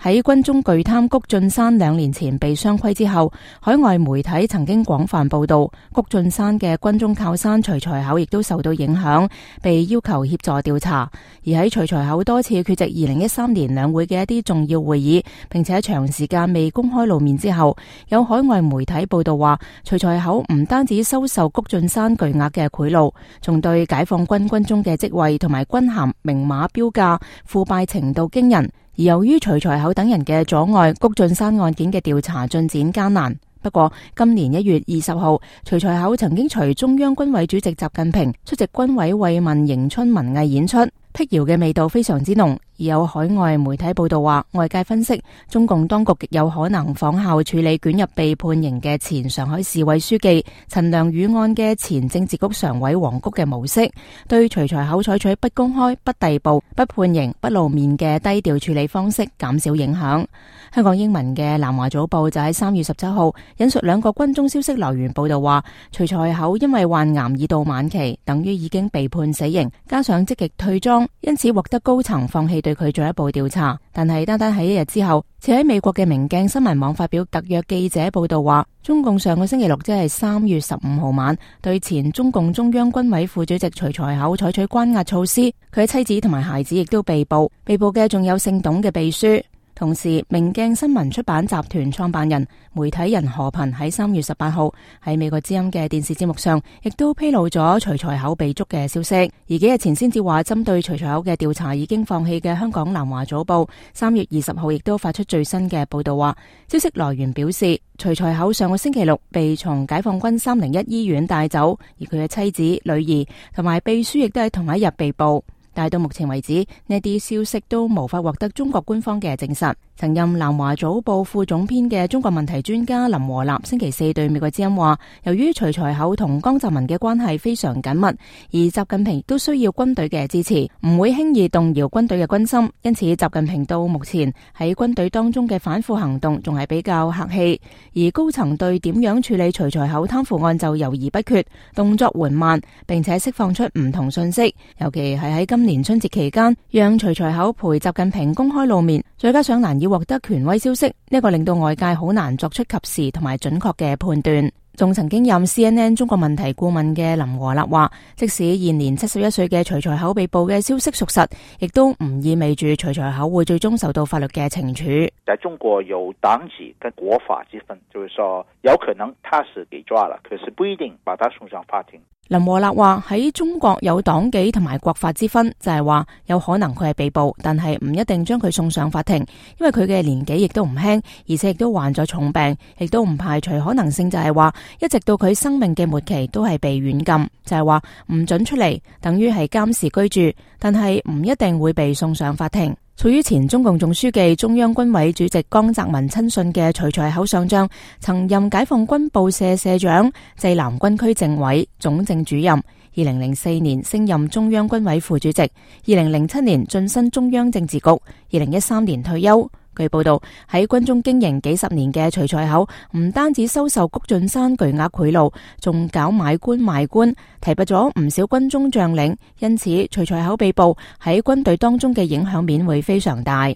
喺軍中巨貪谷晉山2年前被雙規之後，海外媒體曾經廣泛報道，谷晉山嘅軍中靠山徐才厚亦都受到影響，被要求協助調查。而喺徐才厚多次缺席2013年兩會嘅一啲重要會議，並且長時間未公開露面之後，有海外媒體報道話，徐才厚唔單止收受谷晉山巨額嘅賄賂，仲對解放軍軍中嘅職位同埋軍銜明碼標價，腐敗程度驚人。而由於徐才厚等人嘅阻礙，谷晉山案件嘅調查進展艱難。不過今年1月20號，徐才厚曾經隨中央軍委主席習近平出席軍委慰問迎春文藝演出，辟謠嘅味道非常之濃。而有海外媒體報道話，外界分析中共當局極有可能仿效處理捲入被判刑嘅前上海市委書記陳良宇案嘅前政治局常委黃菊嘅模式，對徐才厚採取不公開、不逮捕、不判刑、不露面嘅低調處理方式，減少影響。香港英文嘅南華早報就喺3月17號引述2個軍中消息來源報道話，徐才厚因為患癌已到晚期，等於已經被判死刑，加上積極退莊，因此獲得高層放棄對佢進一步調查。但係單單喺1日之後，似喺美國嘅明鏡新聞網發表特約記者報道話，中共上個星期六即係3月15號晚，對前中共中央軍委副主席徐才厚採取關押措施，佢嘅妻子同埋孩子亦都被捕，被捕嘅仲有姓董嘅秘書。同時，明鏡新聞出版集團創辦人、媒體人何頻喺3月18號喺美國之音嘅電視節目上，亦都披露咗徐才厚被捉嘅消息。而幾日前先至話針對徐才厚嘅調查已經放棄嘅香港南華早報3月20號亦都發出最新嘅報道話，消息來源表示，徐才厚上個星期六被從解放軍301醫院帶走，而佢嘅妻子、女兒同埋秘書亦都喺同一日被捕。但係到目前為止，呢啲消息都無法獲得中國官方嘅證實。曾任南華早報副總編嘅中國問題專家林和立星期四對美國之音話，由於徐才厚同江澤民嘅關係非常緊密，而習近平都需要軍隊嘅支持，唔會輕易動搖軍隊嘅軍心，因此習近平到目前喺軍隊當中嘅反腐行動仲係比較客氣，而高層對點樣處理徐才厚貪腐案就猶豫不決，動作緩慢，並且釋放出唔同信息，尤其係喺今年春節期間，讓徐才厚陪習近平公開露面，再加上難以獲得權威消息，呢個令到外界好難作出及時同埋準確嘅判斷。仲曾經任 CNN 中國問題顧問嘅林和立話，即使現年71歲嘅徐才厚被捕嘅消息屬實，亦都唔意味住徐才厚會最終受到法律嘅懲處。在中國有黨紀跟國法之分，就是說有可能他是給抓了，可是不一定把他送上法庭。林和立話喺中國有黨紀同埋國法之分，就係話有可能佢係被捕，但係唔一定將佢送上法庭，因為佢嘅年紀亦都唔輕，而且亦都患咗重病，亦都唔排除可能性就係話一直到佢生命嘅末期都係被軟禁，就係話唔准出嚟，等於係監視居住，但係唔一定會被送上法庭。屬於前中共總書記、中央軍委主席江澤民親信嘅徐才厚上將，曾任解放軍報社社長、濟南軍區政委、總政主任。2004年升任中央軍委副主席，2007年晉身中央政治局，2013年退休。據報道，喺軍中經營幾十年嘅徐才厚，唔單止收受谷晉山巨額賄賂，仲搞買官賣官，提拔咗唔少軍中將領，因此徐才厚被捕喺軍隊當中嘅影響面會非常大。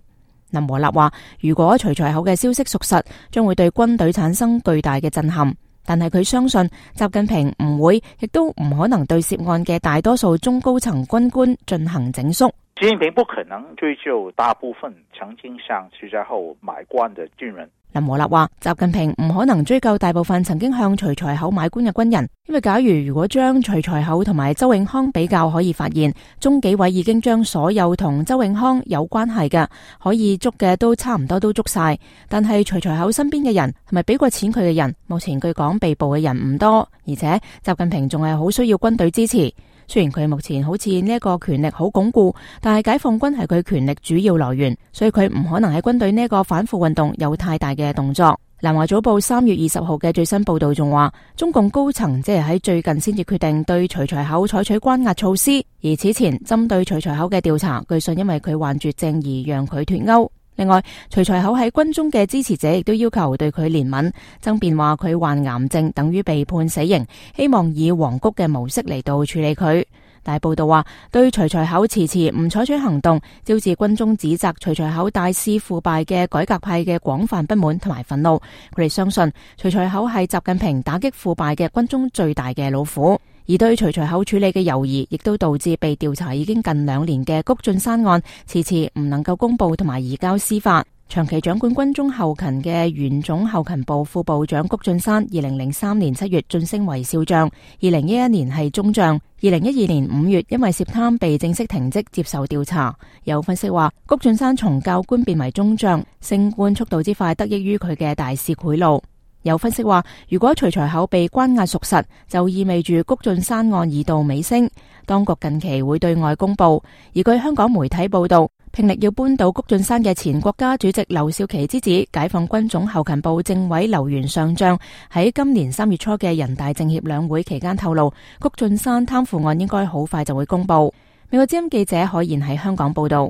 林和立話，如果徐才厚嘅消息屬實，將會對軍隊產生巨大嘅震撼，但係佢相信習近平唔會，亦都唔可能對涉案嘅大多數中高層軍官進行整肅。習近平不可能追究大部分曾經向徐才厚買官的軍人。林和立話，習近平唔可能追究大部分曾經向徐才厚買官嘅軍人，因為假如果將徐才厚同埋周永康比較，可以發現中紀委已經將所有同周永康有關係嘅可以捉嘅都差唔多都捉晒，但係徐才厚身邊嘅人同埋俾過錢佢嘅人，目前據講被捕嘅人唔多，而且習近平仲係好需要軍隊支持。雖然佢目前好似呢一個權力好鞏固，但係解放軍係佢權力主要來源，所以佢唔可能喺軍隊呢一個反腐運動有太大嘅動作。南華早報3月20號嘅最新報道仲話，中共高層即係喺最近先至決定對徐才厚採取關押措施，而此前針對徐才厚嘅調查，據信因為佢患絕症而讓佢脫歐。另外，徐才厚喺軍中嘅支持者亦都要求對佢憐憫，爭辯話佢患癌症等於被判死刑，希望以黃菊嘅模式嚟到處理佢。但報道話，對徐才厚遲遲唔採取行動，招致軍中指責徐才厚大肆腐敗嘅改革派嘅廣泛不滿同埋憤怒。佢哋相信徐才厚係習近平打擊腐敗嘅軍中最大嘅老虎，而對徐才厚處理嘅猶疑，亦都導致被調查已經近2年嘅谷俊山案遲遲唔能夠公布同埋移交司法。長期掌管軍中後勤嘅原總後勤部副部長谷俊山，2003年7月晉升為少將，2011年係中將，2012年5月因為涉貪被正式停職接受調查。有分析話，谷俊山從教官變為中將，升官速度之快得益於佢嘅大肆賄賂。有分析話，如果徐才厚被關押屬實，就意味住谷俊山案已到尾聲，當局近期會對外公布。而據香港媒體報道，拼力要扳倒谷俊山嘅前國家主席劉少奇之子、解放軍總後勤部政委劉元上將喺今年3月初嘅人大政協兩會期間透露，谷俊山貪腐案應該好快就會公布。美國之音記者海賢喺香港報道。